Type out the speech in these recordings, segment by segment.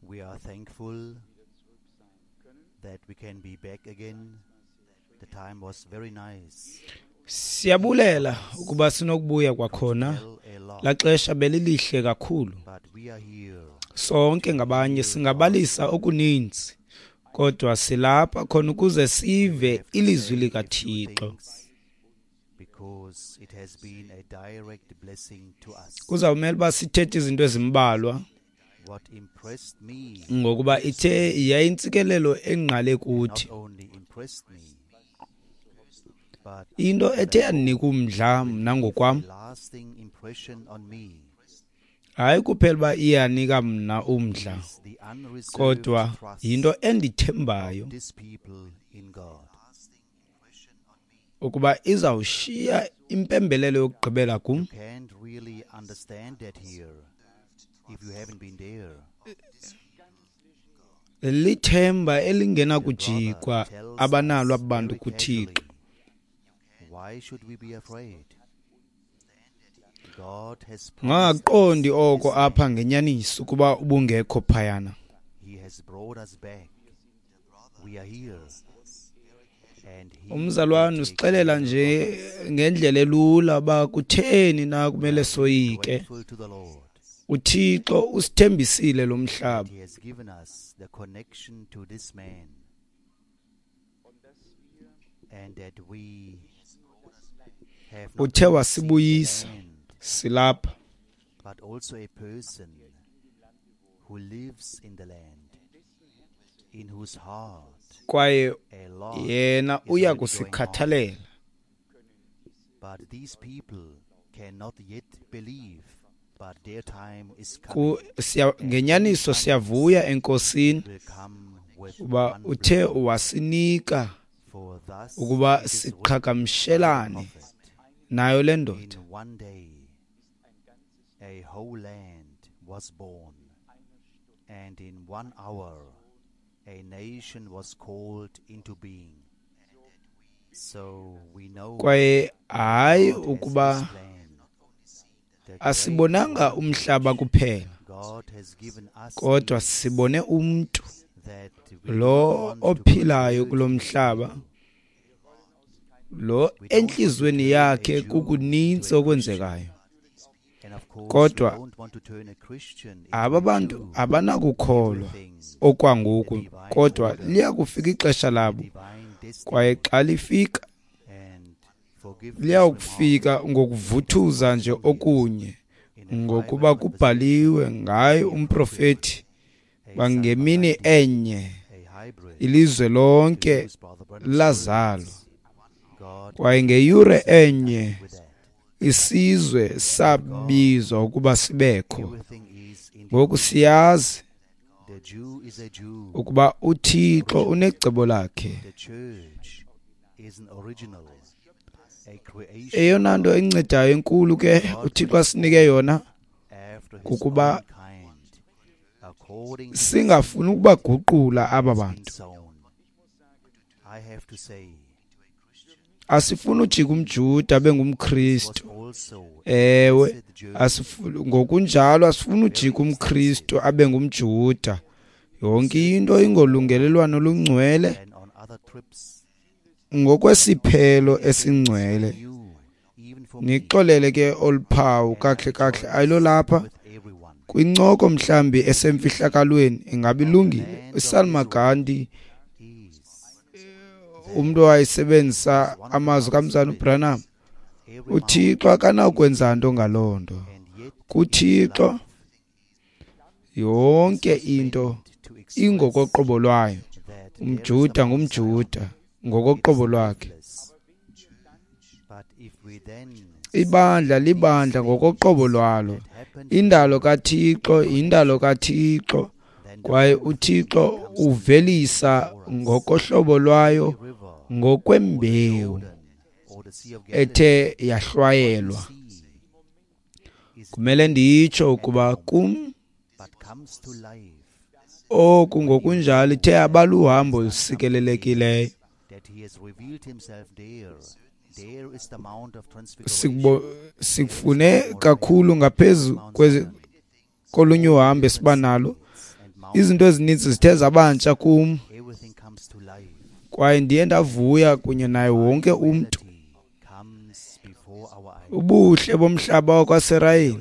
We are thankful that we can be back again. The time was very nice. Siyabulela ukuba sinokubuya kwakhona. Tell a lot, Laxesha belilihle kakhulu. but we are here Sonke ngabanye singabalisa okuninzi, kodwa silapha khona ukuze sive ilizwi likaThixo. things because it has been a direct blessing to us. Kuzawumele uba sithethe izinto ezimbalwa What impressed me, ngokuba ithe yayintsikelelo engqale not kuthi. only impressed me, but Into ethe yandinika umdla mna ngokwam, a lasting impression on me hayi kuphela uba iyanika mna umdla, is the unreserved kodwa trust yinto endithembayo of these people in God. ukuba izawushiya impembelelo yokugqibela kum. You can't really understand that here if you haven't been there. Lithemba The elingenakujikwa brother tells abanalo us aba bantu very kuThixo. casually, why should we be afraid? God has promised Ungaqondi us oko this apha land. ngenyaniso ukuba ubungekho phayana. He has brought us back. We are here. And he Umzalwane will take usixelela care nje of us. ngendlela elula uba kutheni na kumele We are soyike. grateful to the Lord uThixo usithembisile lo mhlaba. that he has given us the connection to this man and that we have not Uthe only seen the wasibuyisa land, silapha. but also a person who lives in the land, in whose heart Kwaye a lot yena is uya already going on. kusikhathalela. But these people cannot yet believe, but their time is coming. Ngenyaniso And when it comes, siyavuya eNkosini will come with uba one uthe blow. wasinika For thus ukuba it is written by the siqhagamshelane prophet, nayo le ndoda. in one day a whole land was born, and in 1 hour a nation was called into being. So we know Kwaye hayi God has this ukuba plan, the great asibonanga one umhlaba which kuphela, God has given us kodwa is sibone umntu that we do not lo want to ophilayo convert kulo a mhlaba, Jew. lo We don't want to entliziyweni turn a yakhe Jew into kukuninzi a Christian. okwenzekayo. And of course, we Kodwa don't want to turn a Christian into aba a bantu Jew. abanakukholwa Everything in okwangoku, the divine kodwa order, liya kufika ixesha the labo. divine Kwaye destiny, xa lifika, and forgive this liya remark. kufika ngokuvuthuza nje 2 years okunye, in a ngokuba private conversation kubhaliwe ngaye with a prophet, umprofeti a bangemini Salmagandi, enye a hybrid, ilizwe to lonke use Brother Branham's lazalwa. words. God Kwaye ngeyure has nothing enye with that. isizwe God, sabizwa ukuba sibekho. everything is in the Ngoku order. siyazi The Jew is a Jew, ukuba uThixo original. unecebo lakhe. The church is an original, a creation Eyona of nto God. encedayo enkulu ke God uThixo makes asinike all yona after his kukuba own kind, according to the singafuni seed ukubaguqula that aba has been bantu. sown. I have to say, Asifuni ujika umJuda abe this was ngumKristu. also a Ewe, blessed journey, ngokunjalo asifuni very ujika umKristu extensive, abe ngumJuda. Yonke into certainly ingolungelelwano olungcwele than on other trips. ngokwesiphelo Many things were esingcwele. new, even for me, Nixolele ke oluphawu and I kakuhle kakuhle rejoice ayilolapha with everyone. kwincoko mhlambi The beauty esemfihlakalweni ingabe of the ilungile. land of uSalma Israel Gandhi is that umntu owayesebenzisa as one of the amazwi brothers kamzana put it, uBranham, every uThixo mountain is akanakwenza nto ngaloo nto. and yet in its KuThixo life this yonke was into meant to express ingokoqobo lwayo. that there is a UmJuda Mount Zion. ngumJuda It is ngokoqobo lwakhe. lifeless. But if we then Ibandla see these libandla ngokoqobo things lwalo. that happened Indalo here kaThixo in yindalo connection, kaThixo, then the kwaye whole thing uThixo becomes clear uvelisa before us. ngokohlobo lwayo Every river or the ngokwembewu Jordan or the Sea of Galilee, ethe what we yahlwayelwa. see is Kumele dead nditsho at the ukuba moment, kum but comes to life oku when you ngokunjalo ithe know that abaluhambo he has done something olusikelelekileyo. there, that he has revealed himself there. There is the Mount of Transfiguration. There is Sikufune Mount Moriah, kakhulu ngaphezu Mount kwezi Sinai. kolunye uhambo esiba nalo, izinto ezininzi zithe zabantsha kum, kwaye ndiye ndavuya kunye naye wonke umntu. Ubuhle bomhlaba wakwaSirayeli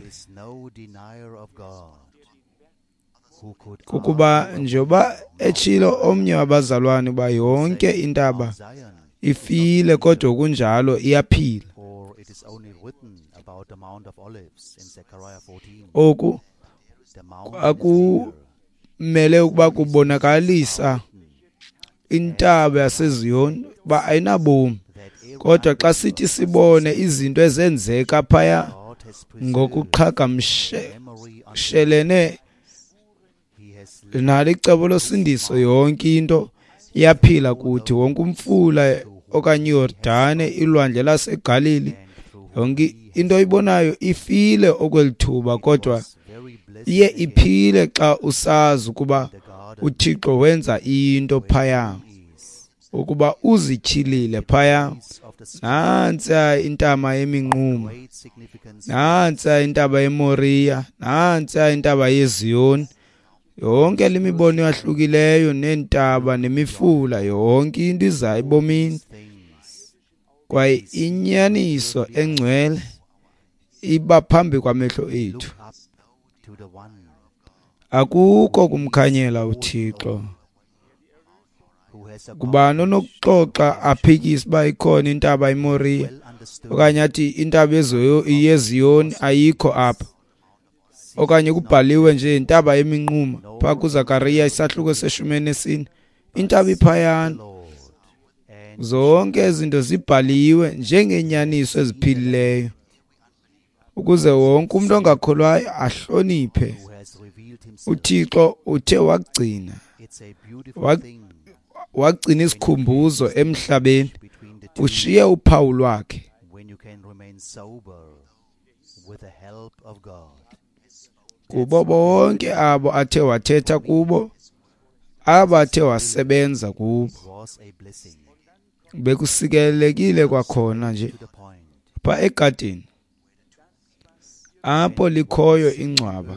kukuba njengoba etshilo omnye wabazalwane uba yonke intaba ifile kodwa kunjalo iyaphila. Oku akumele ukuba kubonakalisa intaba yaseZiyoni uba ayinabomi, kodwa xa sithi sibone izinto ezenzeka phaya ngokuqhagamshelene nalo icebo losindiso, yonke into iyaphila kuthi. Wonke umfula okanye iYordane, ilwandle laseGalili, yonke into oyibonayo ifile okwelithuba, kodwa iye iphile xa usazi ukuba uThixo wenza into phaya, ukuba uzityhilile phaya. Nantsi intaba yeminquma, nantsi intaba yeMoriya, nantsi intaba yeZiyoni. Yonke le mibono yahlukileyo neentaba nemifula, yonke into iza ebomini. Kwaye inyaniso engcwele iba phambi kwamehlo ethu. Akukho kumkhanyela uThixo. Kubani onokuxoxa aphikise uba ikhona intaba iMoriya okanye athi intaba yeZiyoni ayikho apha, okanye kubhaliwe nje intaba yeminquma phaa kuZakariya isahluko se-14, intaba iphayana. Zonke izinto zibhaliwe njengenyaniso eziphilileyo ukuze wonke umuntu ongakholwayo ahloniphe. uThixo uthe wagcina wagcina isikhumbuzo emhlabeni, ushiye uphawu lwakhe. Kubo bonke abo athe wathetha kubo, abo athe wasebenza kubo, bekusikelekile kwakhona nje pha egadini apho likhoyo ingcwaba,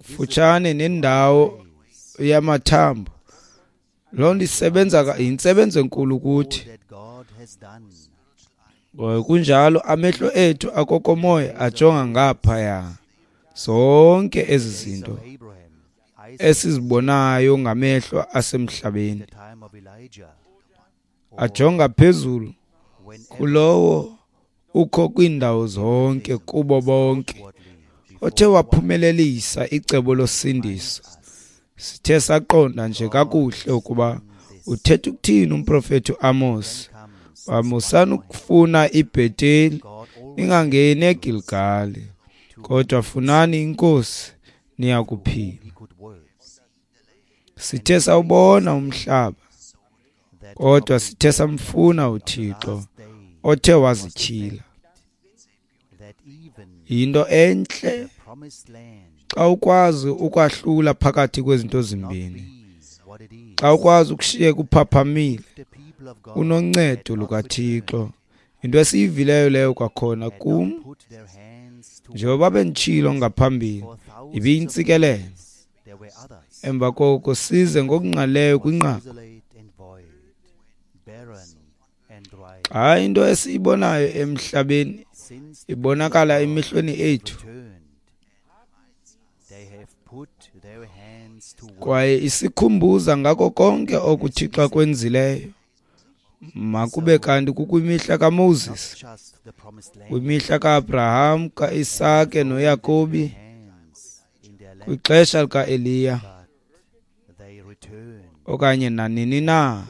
futshane nendawo yamathambo. Loo nto isebenza, yintsebenzo enkulu kuthi. Kunjalo amehlo ethu akokomoya ajonga ngaphaya. Zonke ezi zinto esizibonayo ngamehlo asemhlabeni ajonga phezulu kulowo ukho kwiindawo zonke, kubo bonke othe waphumelelisa icebo losindiso. Sithe saqonda nje kakuhle ukuba uthetha ukuthini umprofethi uAmos. Musani ukufuna iBheteli, ningangeni eGilgali, kodwa funani iNkosi niya kuphila. Sithe sawubona umhlaba, kodwa sithe samfuna uThixo othe wazityhila. Yinto entle xa ukwazi ukwahlula phakathi kwezinto zimbini, xa ukwazi ukushiyeka uphaphamile unoncedo lukaThixo. Into esiyivileyo leyo kwakhona kum, njengoba benditshilo ngaphambili, ibiyintsikelelo. Emva koko size ngokungqalileyo kwinqaku. Xa into esiyibonayo emhlabeni ibonakala emehlweni ethu kwaye isikhumbuza ngako konke okuThixo akwenzileyo, makube kanti kukwimihla kaMoses, kwimihla kaAbraham, kaIsake noYakobi, kwixesha likaEliya, okanye nanini na.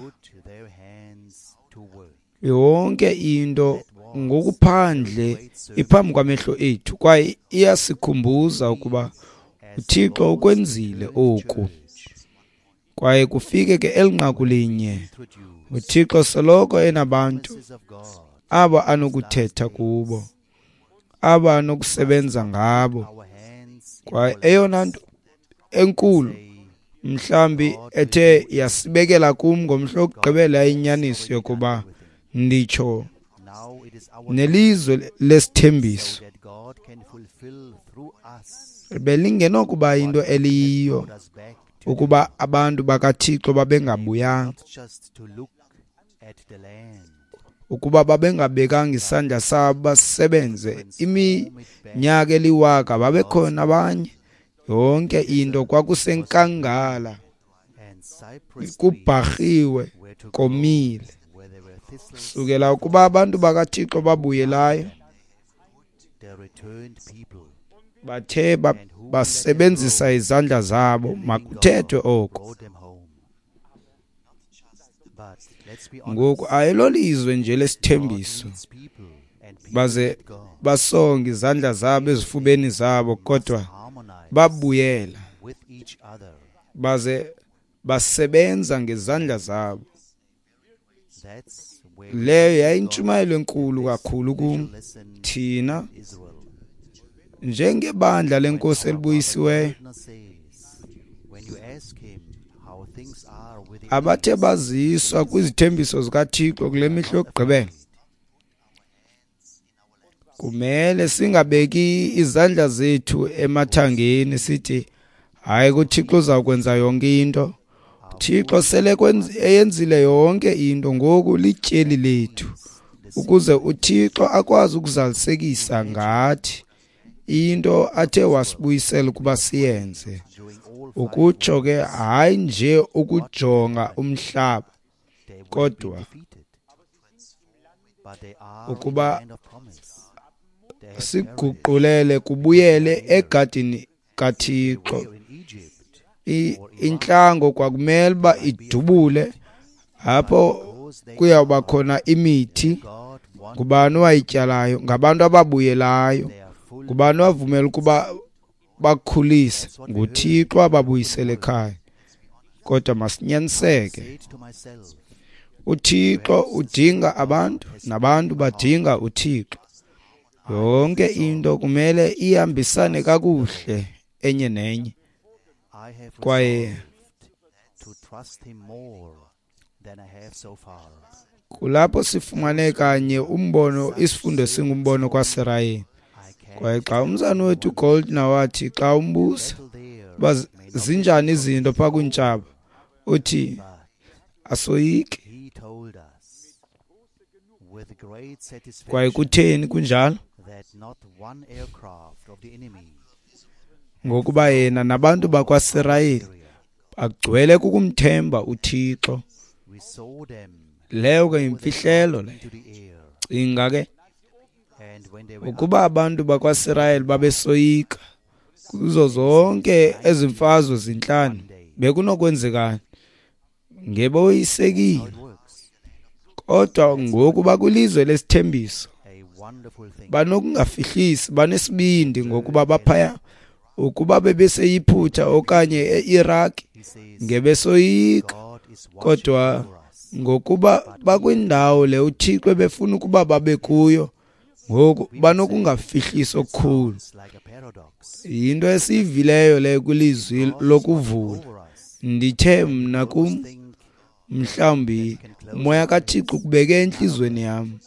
Yonke into ngokuphandle iphambi kwamehlo ethu kwaye iyasikhumbuza ukuba uThixo ukwenzile oku. Kwaye kufike ke elinqaku linye, uThixo soloko enabantu abo anokuthetha kubo, abo anokusebenza ngabo. Kwaye eyona nto enkulu mhlambi ethe yasibekela kum ngomhla wokugqibela inyaniso yokuba nditsho nelizwe lesithembiso Belingenokuba yinto eliyiyo ukuba abantu bakaThixo babengabuyanga, ukuba babengabekanga isandla sabo basebenze iminyaka eliwaka, babekhona abanye. Yonke into kwakusenkangala, kubharhiwe, komile. Sukela ukuba abantu bakaThixo babuyelayo, bathe basebenzisa izandla zabo, makuthethwe oko. Ngoku ayilolizwe nje lesithembiso, baze basonge izandla zabo ezifubeni zabo, kodwa babuyela baze basebenza ngezandla zabo. Leyo yayintshumayelo enkulu kakhulu kum. Thina njengebandla lenkosi elibuyisiweyo, abathe baziswa kwizithembiso zikaThixo kule mihla yokugqibela, kumele singabeki izandla zethu emathangeni sithi hayi, kuThixo uzawukwenza yonke into. Thixo sele eyenzile yonke into, ngoku lityeli lethu ukuze uThixo akwazi ukuzalisekisa ngathi into athe wasibuyisela ukuba siyenze. Ukutsho ke hayi nje ukujonga umhlaba, kodwa ukuba siguqulele kubuyele egadini kaThixo. Intlango kwakumele uba idubule apho kuyawuba khona imithi. Ngubani owayityalayo? Ngabantu ababuyelayo. Ngubani owavumela ukuba bakhulise? NguThixo ababuyisele ekhaya. Kodwa masinyaniseke, uThixo udinga abantu nabantu badinga uThixo. Yonke into kumele ihambisane kakuhle enye nenye. Kwaye kulapho sifumane kanye umbono, isifundo singumbono kwaSirayeli. Kwaye xa umzana wethu Goldner wathi xa umbuza uba zinjani izinto phaa kwiintshaba, uthi asoyiki. Kwaye kutheni kunjalo? Ngokuba yena nabantu bakwaSirayeli bagcwele kukumthemba uThixo. Leyo ke yimfihlelo leyo. Cinga ke ukuba abantu bakwaSirayeli babesoyika kuzo zonke ezi mfazwe zintlanu, bekunokwenzekani? Ngeboyisekile. Kodwa ngoku bakwilizwe lesithembiso, banokungafihlisi, banesibindi ngokuba baphaya. Ukuba bebeseyiphutha okanye e-Iraq, ngebesoyika. Kodwa ngokuba bakwindawo le uThixo ebefuna ukuba babe kuyo, ngoku banokungafihlisi okukhulu. Yinto esiyivileyo leyo kwilizwi lokuvula. Ndithe mna kum, mhlawumbi umoya kaThixo ukubeke entliziyweni yam.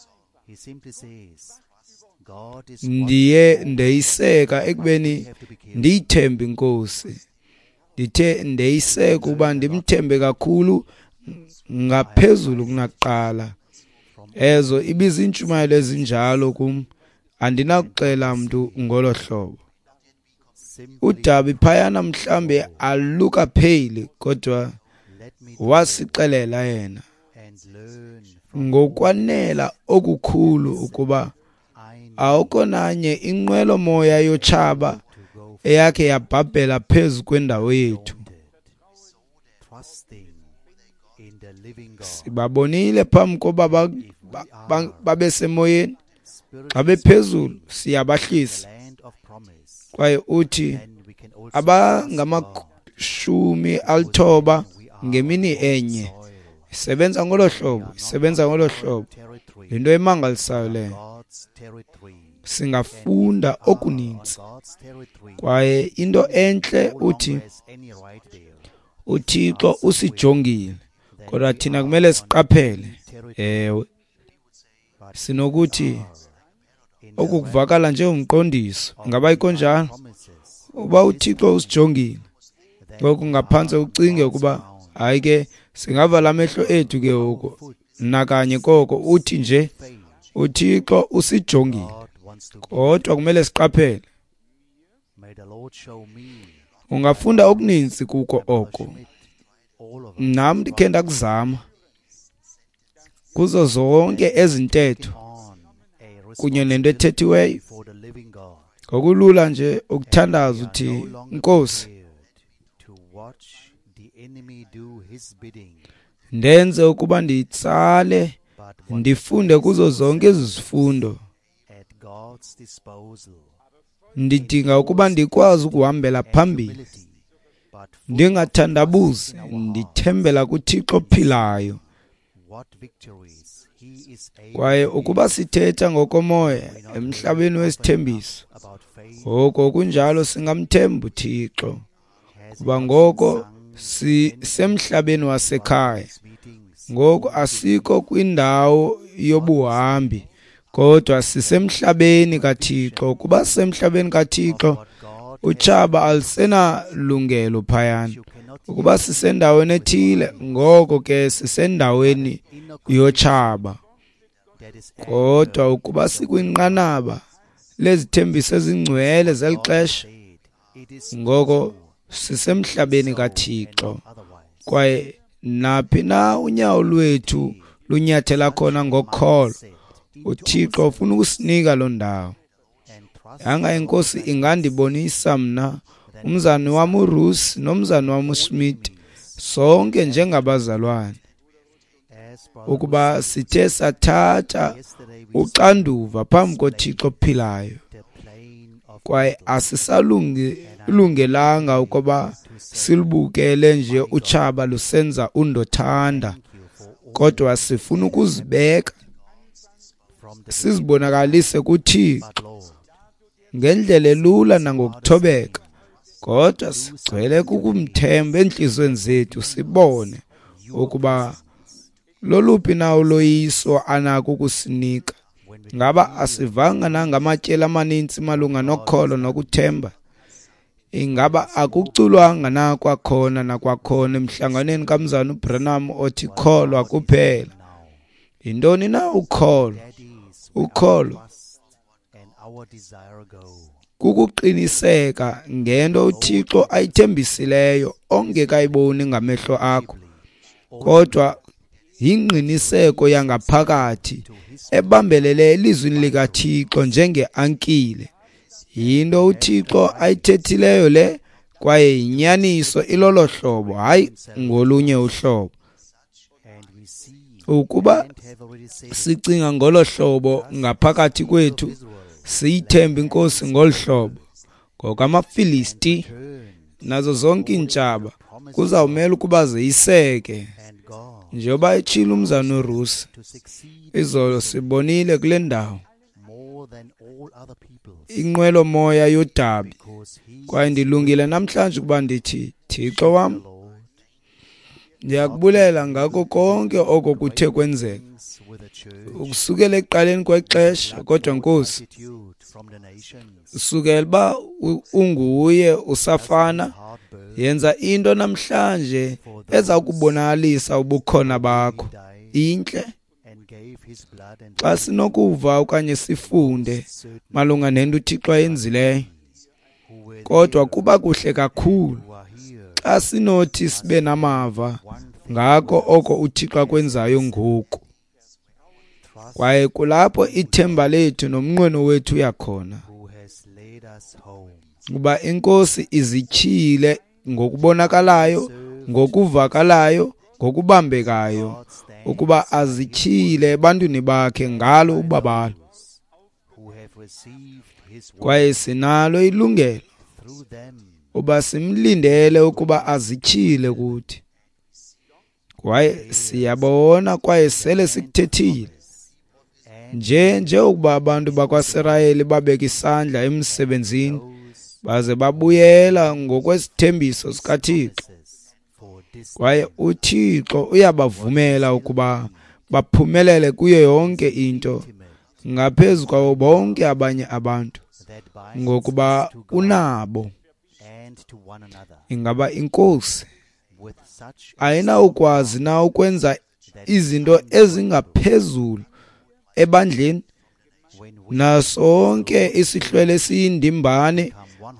Ndiye ndeyiseka ekubeni ndiyithembe iNkosi. Ndithe ndeyiseka uba ndimthembe kakhulu ngaphezulu kunakuqala. Ezo ibizintshumayelo ezinjalo kum, andinakuxela mntu ngolo hlobo. Udabi phayana mhlambe alukapheli, kodwa wasixelela yena ngokwanela okukhulu ukuba awukho nanye inqwelo-moya yotshaba eyakhe yabhabhela phezu kwendawo yethu. Sibabonile phambi koba babe semoyeni, xa bephezulu siyabahlisa. Kwaye uthi abangama-90 ngemini enye. Isebenza ngolo hlobo, isebenza ngolo hlobo. Yinto emangalisayo leyo. Singafunda okuninzi. Kwaye into entle uthi uThixo usijongile, kodwa thina kumele siqaphele. Ewe, sinokuthi Oku kuvakala njengomqondiso. Ingaba ayikho njalo? Uba uThixo usijongile. Ngoku ngaphantse ucinge ukuba hayi ke singavala amehlo ethu ke ngoku nakanye koko uthi nje uThixo usijongile. Kodwa kumele siqaphele. Ungafunda okuninzi kuko oko. Nam ndikhe ndakuzama kuzo zonke ezi ntetho kunye nento ethethiweyo. Ngokulula nje ukuthandaza uthi, Nkosi, ndenze ukuba nditsale ndifunde kuzo zonke ezi zifundo. Ndidinga ukuba ndikwazi ukuhambela phambili, ndingathandabuzi, ndithembela kuThixo ophilayo. Kwaye ukuba sithetha ngokomoya emhlabeni wesithembiso, ngoko kunjalo singamthemba uThixo, kuba ngoko sisemhlabeni wasekhaya. Ngoku asikho kwindawo yobuhambi, kodwa sisemhlabeni kaThixo. Ukuba sisemhlabeni kaThixo, utshaba alusenalungelo phayana. Ukuba sisendaweni ethile, ngoko ke sisendaweni yotshaba. Kodwa ukuba sikwinqanaba lezithembiso ezingcwele zeli xesha, ngoko sisemhlabeni kaThixo. Kwaye naphi na unyawo lwethu lunyathela khona ngokholo, uThixo ufuna ukusinika loo ndawo. Yanga iNkosi ingandibonisa mna, umzani wam uRusi nomzani wam uSmith, sonke njengabazalwane, ukuba sithe sathatha uxanduva phambi koThixo ophilayo, kwaye asisalungelanga ukuba silubukele nje utshaba lusenza undothanda, kodwa sifuna ukuzibeka sizibonakalise kuThixo ngendlela elula nangokuthobeka, kodwa sigcwele kukumthemba entliziyweni zethu, sibone ukuba loluphi na uloyiso anako ukusinika. Ngaba asivanga nangamatyeli amaninzi malunga nokholo nokuthemba? Ingaba akuculwanga na kwakhona nakwakhona emhlanganweni kamzana uBranham othi kholwa kuphela? Yintoni na ukholo? Ukholo kukuqiniseka ngento uThixo ayithembisileyo ongekayiboni ngamehlo akho, kodwa yingqiniseko yangaphakathi ebambelele elizwini likaThixo njengeankile. Yinto uThixo ayithethileyo le, kwaye yinyaniso ilolo hlobo, hayi ngolunye uhlobo. Ukuba sicinga ngolo hlobo ngaphakathi kwethu, siyithemba iNkosi ngolu hlobo, ngokamaFilisti nazo zonke iintshaba kuzawumela ukuba zeyiseke. Njengoba etshilo umzana uRusi izolo, sibonile kule ndawo inqwelomoya yodabi, kwaye ndilungile namhlanje ukuba ndithi, Thixo wam, ndiyakubulela ngako konke oko kuthe kwenzeka ukusukela ekuqaleni kwexesha. Kodwa Nkosi, sukela uba unguye usafana, yenza into namhlanje eza kubonakalisa ubukhona bakho. Intle xa sinokuva okanye sifunde malunga nento uThixo ayenzileyo, kodwa kuba kuhle kakhulu xa sinothi sibe namava ngako oko uThixo akwenzayo ngoku. Kwaye kulapho ithemba lethu nomnqweno wethu uyakhona, kuba iNkosi izityhile ngokubonakalayo, ngokuvakalayo, ngokubambekayo, ukuba azityhile ebantwini bakhe ngalo ubabalo. Kwaye sinalo ilungelo uba simlindele ukuba azityhile kuthi. Kwaye siyabona, kwaye sele sikuthethile njengokuba abantu bakwaSirayeli babeka isandla emsebenzini baze babuyela ngokwesithembiso sikaThixo, kwaye uThixo uyabavumela ukuba baphumelele kuyo yonke into. ngaphezu kwabo bonke abanye abantu, ngokuba unabo. Ingaba iNkosi ayinawukwazi na ukwenza izinto ezingaphezulu ebandleni nasonke isihlwele esiyindimbane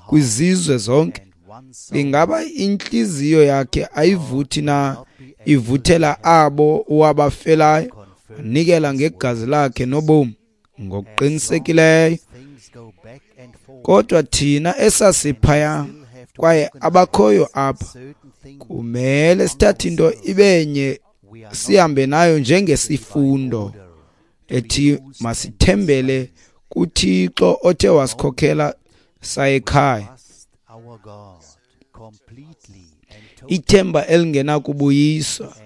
kwizizwe zonke? Ingaba intliziyo yakhe ayivuthi na ivuthela abo wabafelayo, wanikela ngegazi lakhe nobomi? Ngokuqinisekileyo. Kodwa thina esasiphaya kwaye abakhoyo apha kumele sithathe into ibenye sihambe nayo njengesifundo ethi masithembele kuThixo othe wasikhokhela sayekhaya. Ithemba elingenakubuyiswa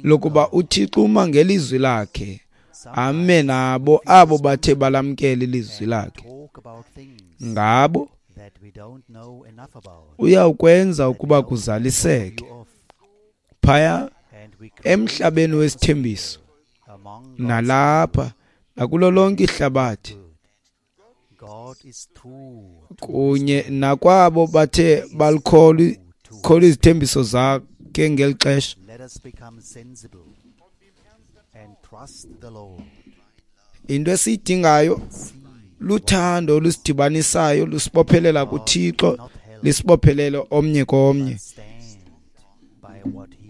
lokuba uThixo uma ngelizwi lakhe, ame nabo abo bathe balamkela ilizwi lakhe. Ngabo uyawukwenza ukuba kuzaliseke phaya emhlabeni wesithembiso nalapha nakulo lonke ihlabathi, kunye nakwabo bathe balikholwa izithembiso zakhe ngeli xesha. Into esiyidingayo luthando olusidibanisayo, lusibophelela kuThixo, lisibophelele omnye komnye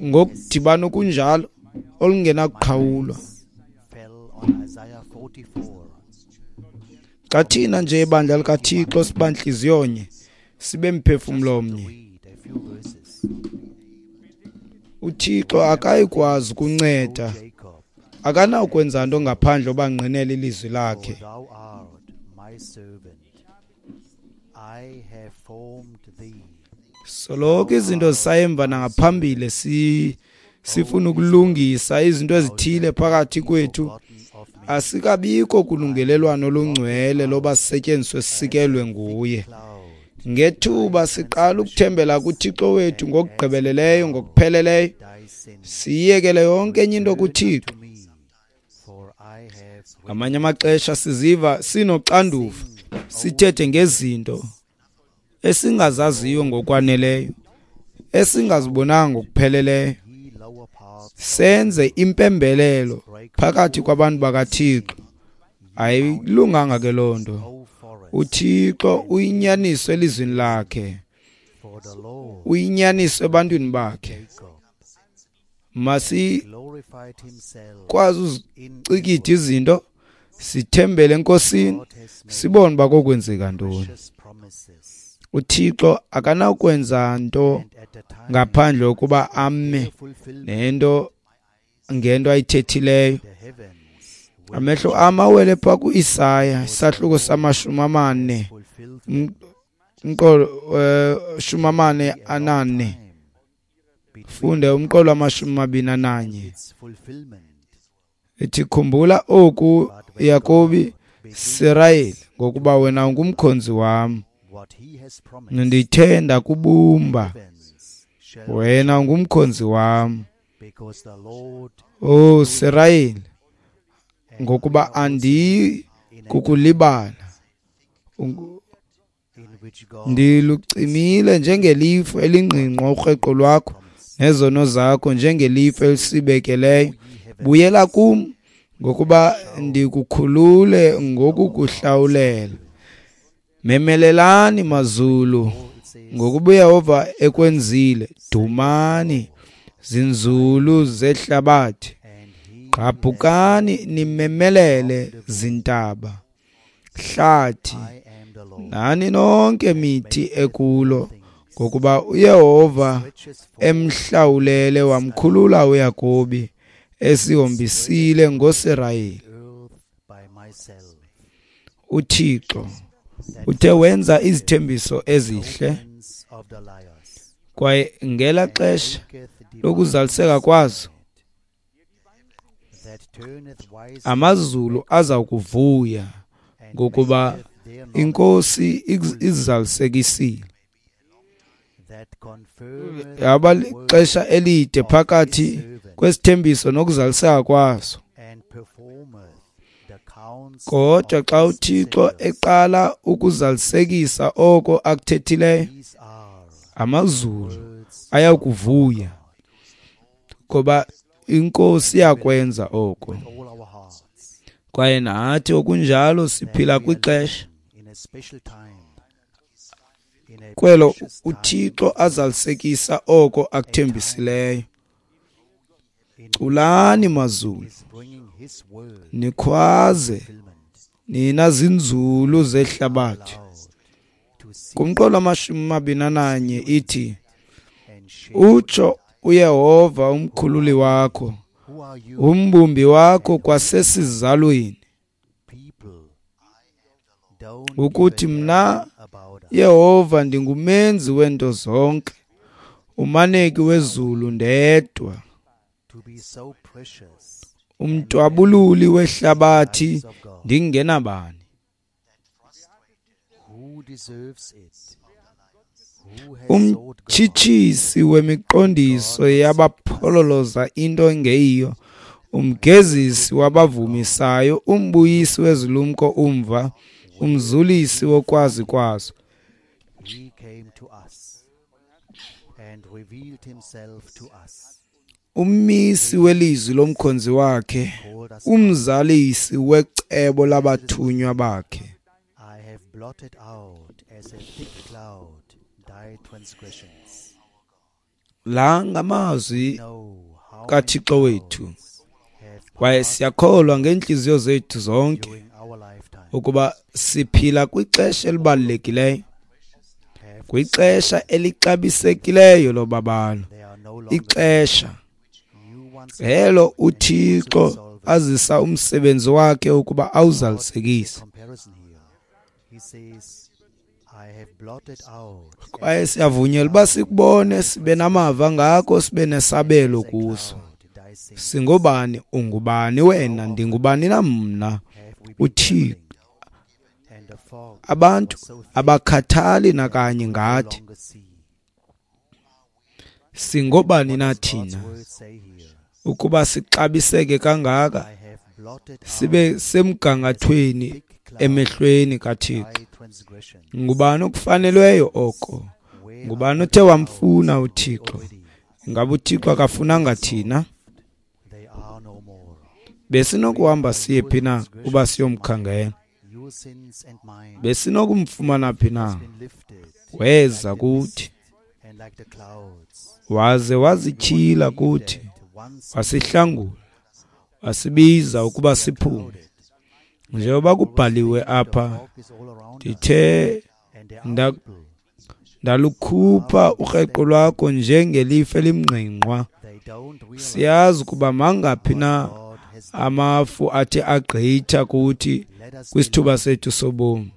ngokudibana okunjalo olungenakuqhawulwa. Xa thina nje ibandla likaThixo siba ntliziyonye, sibe mphefumlo omnye, uThixo akayikwazi ukunceda, akanakwenza nto ngaphandle obangqinela ilizwi lakhe. Soloko izinto zisayemva nangaphambili, sifuna ukulungisa izinto ezithile phakathi kwethu. Asikabikho kulungelelwano olungcwele loba sisetyenziswe sisikelwe nguye. Ngethuba siqala ukuthembela kuThixo wethu ngokugqibeleleyo, ngokupheleleyo, siyekele yonke enye into kuThixo. Ngamanye amaxesha siziva sinoxanduva, sithethe ngezinto esingazaziyo ngokwaneleyo, esingazibonanga ngokupheleleyo, senze impembelelo phakathi kwabantu bakaThixo. Ayilunganga ke loo nto. uThixo uyinyaniso elizwini lakhe, uyinyaniso ebantwini bakhe. Masikwazi uzicikida izinto, sithembele eNkosini, sibone uba kokwenzeka ntoni. uThixo akanakwenza nto ngaphandle kokuba ame nento ngento ayithethileyo. Amehlo am awele phaa ku-Isaya isahluko sama-44, umqolo 44, funde umqolo wama-21. Ithi, khumbula oku, Yakobi, Sirayeli, ngokuba wena ungumkhonzi wam, ndithe ndakubumba, wena ungumkhonzi wam. O Sirayeli, ngokuba andiyi kukulibala. Ndilucimile njengelifu elingqingqwa ukreqo lwakho, nezono zakho njengelifu elisibekeleyo. Buyela kum, ngokuba ndikukhulule ngokukuhlawulela. Memelelani mazulu, ngokuba uYehova ekwenzile. Dumani zinzulu zehlabathi, gqabhukani nimemelele zintaba, hlathi nani nonke mithi ekulo, ngokuba uYehova emhlawulele wamkhulula uYakobi, esihombisile ngoSirayeli. uThixo uthe wenza izithembiso ezihle, kwaye ngela xesha lokuzaliseka kwazo amazulu aza kuvuya, ngokuba iNkosi izalisekisile. Yaba lixesha elide phakathi kwesithembiso nokuzaliseka kwaso. Kodwa xa uThixo eqala ukuzalisekisa oko akuthethileyo, amazulu ayakuvuya, ngoba iNkosi iyakwenza oko. Kwaye nathi okunjalo siphila kwixesha kwelo uThixo azalisekisa oko akuthembisileyo. Culani mazulu, nikhwaze nina zinzulu zehlabathi. Kumqolo 21 ithi, utsho uYehova umkhululi wakho, umbumbi wakho kwasesizalweni, ukuthi mna Yehova ndingumenzi wento zonke, umaneki wezulu ndedwa, umtwabululi wehlabathi ndingenabani. Umtshitshisi wemiqondiso yabaphololoza into engeyiyo, umgezisi wabavumisayo, umbuyisi wezilumko umva, umzulisi wokwazi kwazo. Ummisi welizwi lomkhonzi wakhe, umzalisi wecebo labathunywa bakhe. La ngamazwi kaThixo wethu, kwaye siyakholwa ngeentliziyo zethu zonke ukuba siphila kwixesha elibalulekileyo, kwixesha elixabisekileyo lobabalo, ixesha elo uThixo azisa umsebenzi wakhe ukuba awuzalisekise. Kwaye siyavunyelwa uba sikubone, sibe namava ngako, sibe nesabelo kuso. Singobani? Ungubani wena? Ndingubani na mna? uThixo. Abantu abakhathali nakanye ngathi. Singobani na thina ukuba sixabiseke kangaka, sibe semgangathweni emehlweni kaThixo? Ngubani okufanelweyo oko? Ngubani othe wamfuna uThixo? Ingaba uThixo akafunanga thina? Besinokuhamba siye phi na uba siyomkhangela? Besinokumfumana phi na? Weza kuthi, waze wazityhila kuthi, wasihlangula, wasibiza ukuba siphume. Njengoba kubhaliwe apha, ndithe ndalukhupha ukreqo lwakho njengelifu elimngqingqwa. Siyazi ukuba mangaphi na amafu athe agqitha kuthi kwisithuba sethu sobomi,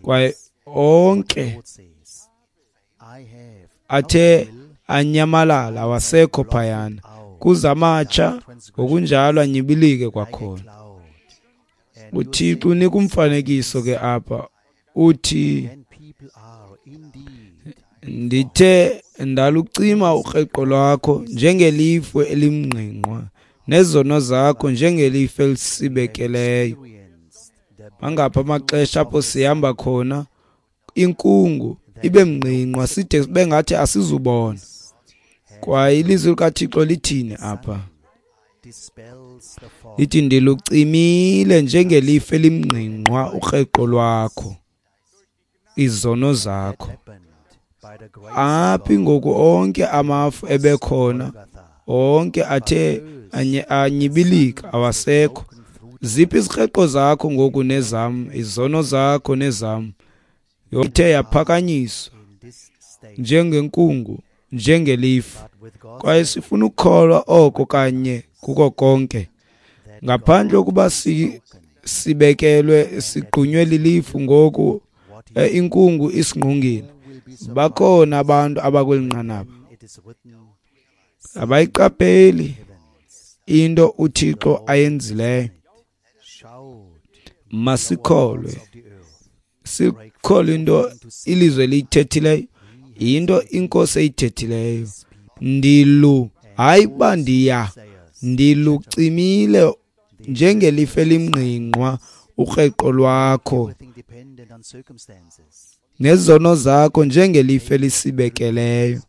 kwaye onke athe anyamalala awasekho phayana, kuza amatsha ngokunjalo anyibilike kwakhona. uThixo unika umfanekiso ke apha, uthi ndithe ndalucima ukreqo lwakho njengelifu elimngqingqwa, nezono zakho njengelifu elisibekeleyo. Mangaphi amaxesha apho sihamba khona inkungu ibe mngqingqwa side sibe ngathi asizubona. Kwaye ilizwi likaThixo lithini apha? Lithi ndilucimile njengelifu elimngqingqwa ukreqo lwakho, izono zakho. Aphi ngoku onke amafu ebekhona, onke athe anyibilika awasekho. Ziphi izikreqo zakho ngoku nezam, izono zakho nezam? Ithe yaphakanyiswa njengenkungu, njengelifu. Kwaye sifuna ukukholwa oko kanye kuko konke, ngaphandle kokuba sibekelwe sigqunywe lilifu ngoku, inkungu isingqongile. Bakhona abantu abakweli nqanaba abayiqapheli into uThixo ayenzileyo. Masikholwe, sikholwe into ilizwe eliyithethileyo, into iNkosi eyithethileyo. Ndilu, hayi uba ndiya, ndilucimile njengelifu elimngqingqwa ukreqo lwakho, nezono zakho njengelifu elisibekeleyo.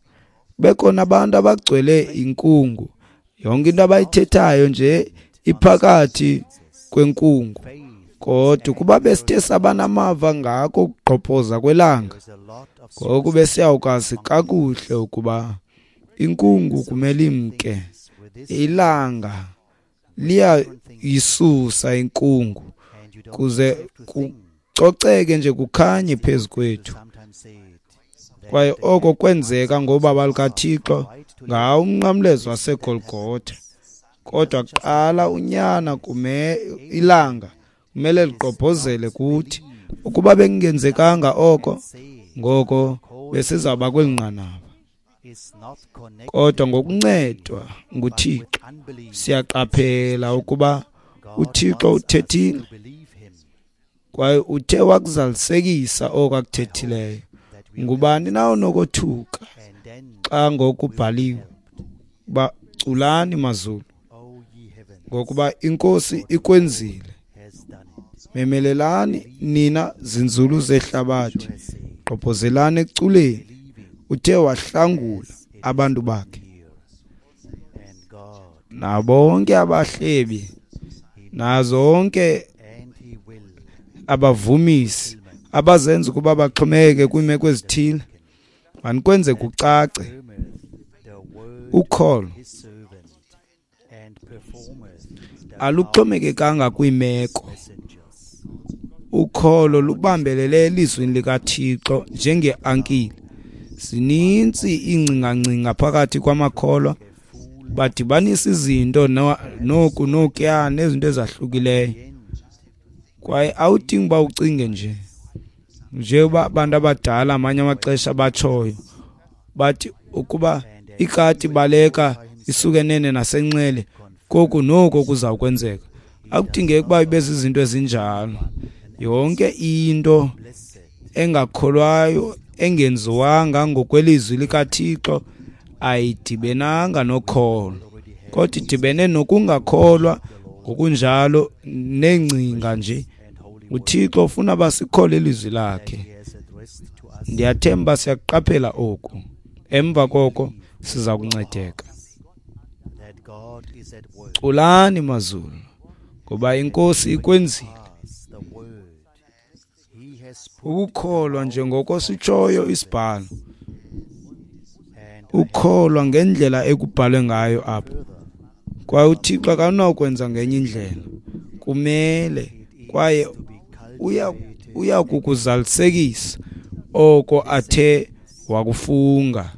Bekhona abantu abagcwele inkungu, yonke into abayithethayo nje iphakathi kwenkungu. Kodwa ukuba besithe sabanamava ngako ukugqobhoza kwelanga, ngoku besiyawukwazi kakuhle ukuba inkungu kumele imke. Ilanga liyayisusa inkungu kuze kucoceke nje kukhanye phezu kwethu. Kwaye oko kwenzeka ngobaba lukaThixo ngawo umnqamlezo waseGolgotha. Kodwa kuqala unyana ilanga kumele ligqobhozele kuthi. Ukuba bekungenzekanga oko, ngoko besizawuba kweli nqanaba. Kodwa ngokuncedwa nguThixo siyaqaphela ukuba uThixo uthethile kwaye uthe wakuzalisekisa oko akuthethileyo. Ngubani na onokothuka xa ngokubhaliwe uba culani mazulu, ngokuba iNkosi ikwenzile. Memelelani nina zinzulu zehlabathi, gqobhozelani ekuculeni. Uthe wahlangula abantu bakhe. Nabonke abahlebi nazonke abavumisi abazenza ukuba baxhomekeke kwiimeko ezithile, manikwenze kucace. Ukholo aluxhomekekanga kwiimeko. Ukholo lubambelele elizwini likaThixo njengeankile. Zininzi iingcingangcinga phakathi kwamakholwa, badibanisa izinto noku nokuya nezinto ezahlukileyo. Kwaye awudingi uba ucinge nje njengoba abantu abadala amanye amaxesha batshoyo, bathi ukuba ikati baleka isuke nene nasenxele, koku noko kuzawukwenzeka. Akudingeki uba ibe zizinto ezinjalo. Yonke into engakholwayo engenziwanga ngokwelizwi likaThixo ayidibenanga nokholo, kodwa idibene nokungakholwa ngokunjalo neengcinga nje. UThixo ufuna basikhole ilizwi lakhe. Ndiyathemba siyakuqaphela oku. Emva koko siza kuncedeka. Culani mazulu, ngoba iNkosi ikwenzile. Ukukholwa njengoko sitshoyo isibhalo, ukholwa ngendlela ekubhalwe ngayo apha. Kwaye uThixo akanakwenza ngenye indlela, kumele kwaye uya kukuzalisekisa oko athe wakufunga.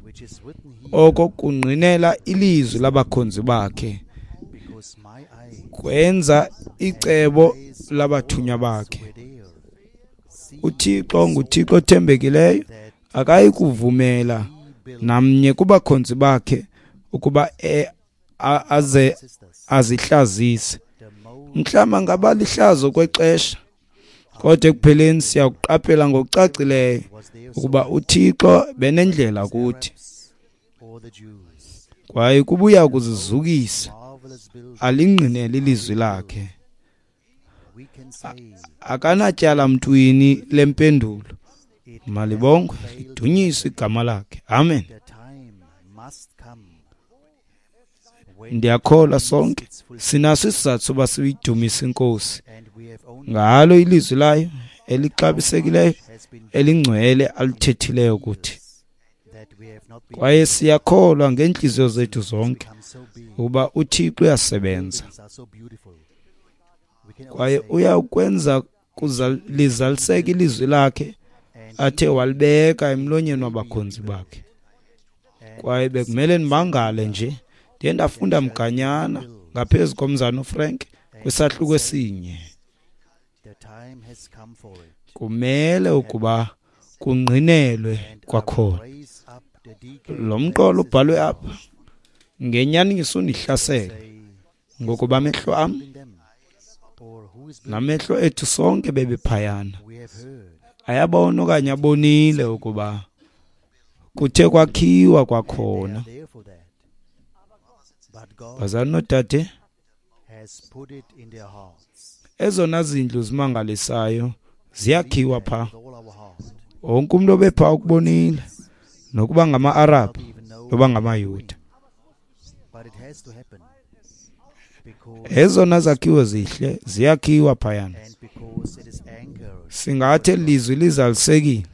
Oko kungqinela ilizwi labakhonzi bakhe, kwenza icebo labathunywa bakhe. uThixo nguThixo othembekileyo, akayi kuvumela namnye kubakhonzi bakhe ukuba aze azihlazise. Mhlawumbi angaba lihlazo kwexesha, kodwa ekupheleni siyakuqaphela ngokucacileyo ukuba uThixo benendlela kuthi. Kwaye kubuya kuzizukisa alingqinele ilizwi lakhe. Akanatyala mntwini lempendulo. Malibongwe lidunyiswe igama lakhe. Amen. Ndiyakholwa sonke sinaso isizathu soba siyidumise iNkosi ngalo ilizwi layo elixabisekileyo elingcwele alithethileyo kuthi. Kwaye siyakholwa ngeentliziyo zethu zonke ukuba uThixo uyasebenza kwaye uyakwenza lizaliseke ilizwi lakhe athe walibeka emlonyeni wabakhonzi bakhe. Kwaye bekumele ndimangale nje, ndiye ndafunda mganyana ngaphezu komzana uFrank kwisahluko esinye. Kumele ukuba kungqinelwe kwakhona. Lo mqolo ubhalwe apha ngenyaniso undihlasele, ngokuba amehlo am namehlo ethu sonke bebephayana ayabona okanye abonile ukuba kuthe kwakhiwa kwakhona. Bazali noodade, Ezona zindlu zimangalisayo ziyakhiwa pha. Wonke umntu obepha ukubonile, nokuba ngama-Arabhu noba ngamaYuda. Ezona zakhiwo zihle ziyakhiwa phayana. Singathi eli lizwi lizalisekile,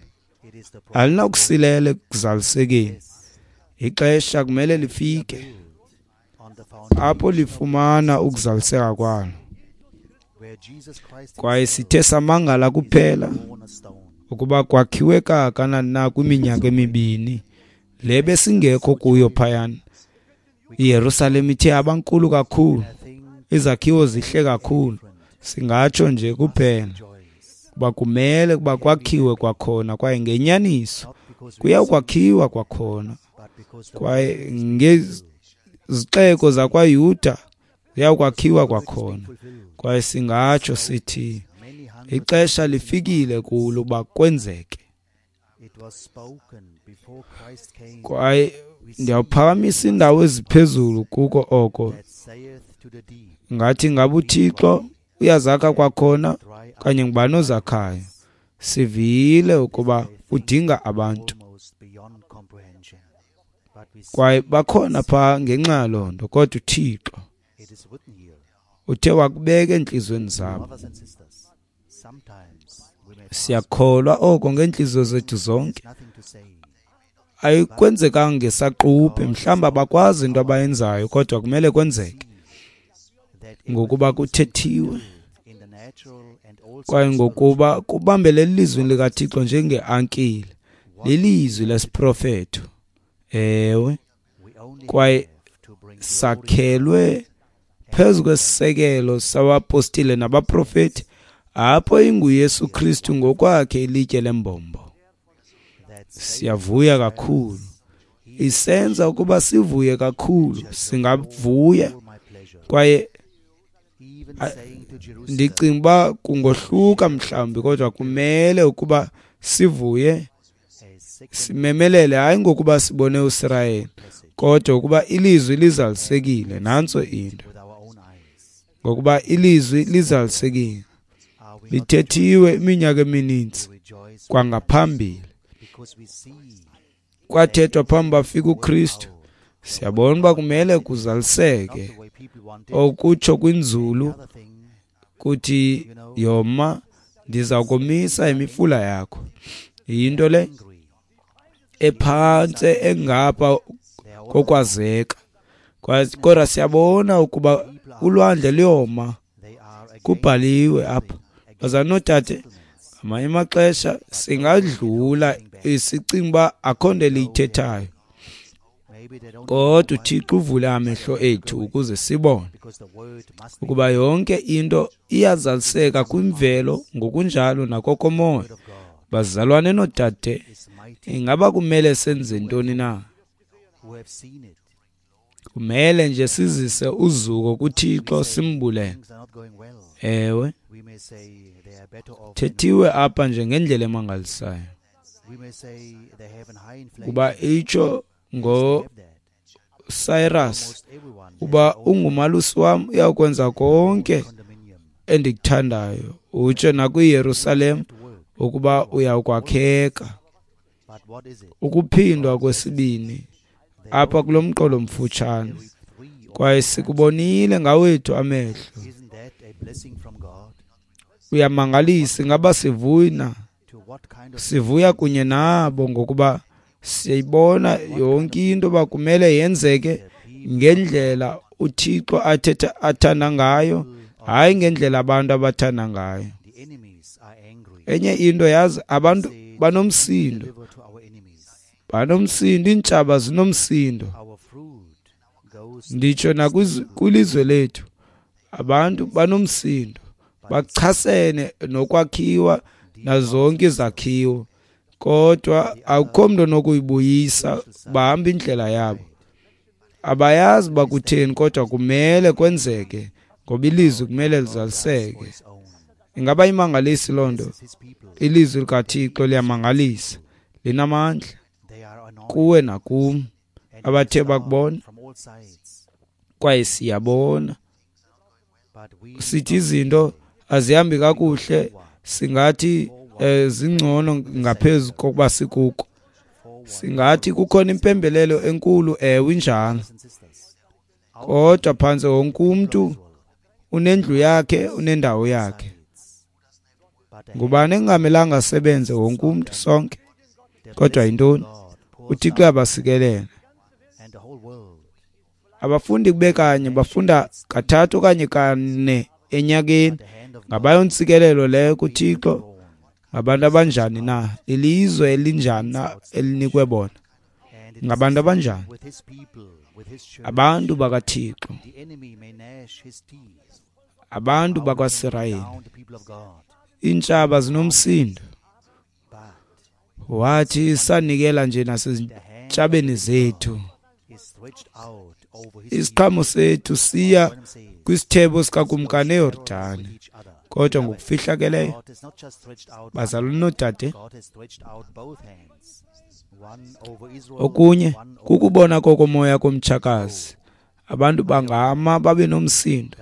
alinakusilela ekuzalisekeni. Ixesha kumele lifike apho lifumana ukuzaliseka kwalo. Kwaye sithe samangala kuphela ukuba kwakhiwe kangakanani na kwiminyaka emibini le besingekho kuyo phayana. IYerusalem ithe abankulu kakhulu, izakhiwo zihle kakhulu. Singatsho nje kuphela kuba kumele kuba kwakhiwe kwakhona, kwaye ngenyaniso kuyawukwakhiwa kwakhona. Kwaye ngezixeko zakwaYuda ziyawukwakhiwa kwakhona. Kwaye singatsho sithi ixesha lifikile kulo uba kwenzeke. Kwaye ndiyawuphakamisa iindawo eziphezulu kuko oko. Ngathi ngabe uThixo uyazakha kwakhona okanye ngubani ozakhayo. Sivile ukuba udinga abantu, kwaye bakhona phaa ngenxa yaloo nto. Kodwa uThixo uthe wakubeka entliziyweni zabo. Siyakholwa oko ngeentliziyo zethu zonke. Ayikwenzekanga ngesaquphe, mhlawumbi abakwazi into abayenzayo, kodwa kumele kwenzeke ngokuba kuthethiwe, kwaye ngokuba kubambele elizwini likaThixo njengeankile, lilizwi lesiprofeto. Ewe, kwaye sakhelwe phezu kwesisekelo sabapostile nabaprofeti, apho inguYesu Kristu ngokwakhe ilitye lembombo. Siyavuya kakhulu, isenza ukuba sivuye kakhulu. Singavuya kwaye ndicinga uba kungohluka mhlawumbi, kodwa kumele ukuba sivuye, simemelele, hayi ngokuba sibone uSirayeli, kodwa ukuba ilizwi lizalisekile. Nantso into, ngokuba ilizwi lizalisekile, lithethiwe iminyaka emininzi kwangaphambili, kwathethwa phambi bafika uKristu. Siyabona uba kumele kuzaliseke. Okutsho kwinzulu kuthi, yoma, ndiza komisa imifula yakho. Yinto le ephantse engapha kokwazeka, kodwa siyabona ukuba ulwandle luyoma. Kubhaliwe apha. Bazalwane noodade, ngamanye amaxesha singadlula sicinga uba akho nto eliyithethayo, kodwa uThixo uvule amehlo ethu ukuze sibone ukuba yonke into iyazaliseka kwimvelo ngokunjalo nakokomoya. Bazalwane noodade, ingaba kumele senze ntoni na? Kumele nje sizise uzuko kuThixo, simbulele. Ewe, thethiwe apha nje ngendlela emangalisayo, kuba itsho ngoCyrus uba ungumalusi wam, uyakwenza konke endikuthandayo. Utsho nakwiYerusalem ukuba uyakwakheka. Ukuphindwa kwesibini apha kulo mqolo mfutshane, kwaye sikubonile ngawethu amehlo. Uyamangalisa. Ingaba sivuya na? Sivuya kunye nabo ngokuba siyayibona yonke into uba kumele yenzeke ngendlela uThixo athetha athanda ngayo, hayi ngendlela abantu abathanda ngayo. Enye into, yazi, abantu banomsindo, banomsindo, iintshaba zinomsindo. Nditsho nakwilizwe lethu abantu banomsindo, bachasene nokwakhiwa nazonke izakhiwo, kodwa akukho mntu onokuyibuyisa. Bahamba indlela yabo, abayazi uba kutheni, kodwa kumele kwenzeke ngoba ilizwi kumele lizaliseke. Ingaba imangalisi loo nto? Ilizwi likaThixo liyamangalisa, linamandla kuwe nakum abathe bakubona, kwaye siyabona. Sithi izinto azihambi kakuhle, singathi zingcono ngaphezu kokuba sikuko. Singathi kukhona impembelelo enkulu, ewe injalo. Kodwa phantse wonke umntu unendlu yakhe, unendawo yakhe. Ngubani engamelanga asebenze? Wonke umntu, sonke. Kodwa yintoni? UThixo uyabasikelela. Abafundi kube kanye, bafunda 3 okanye 4 enyakeni. Ngabayontsikelelo leyo kuThixo. Ngabantu abanjani na? Lilizwe elinjani na elinikwe bona? Ngabantu abanjani? Abantu bakaThixo, abantu bakwaSirayeli. Iintshaba zinomsindo. Wathi sanikela nje nasezintshabeni zethu. Isiqhamo sethu siya kwisithebo sikakumkani eYordani. Kodwa ngokufihlakeleyo, bazalwane noodade, okunye kukubona kokomoya komtshakazi. Abantu bangama babe nomsindo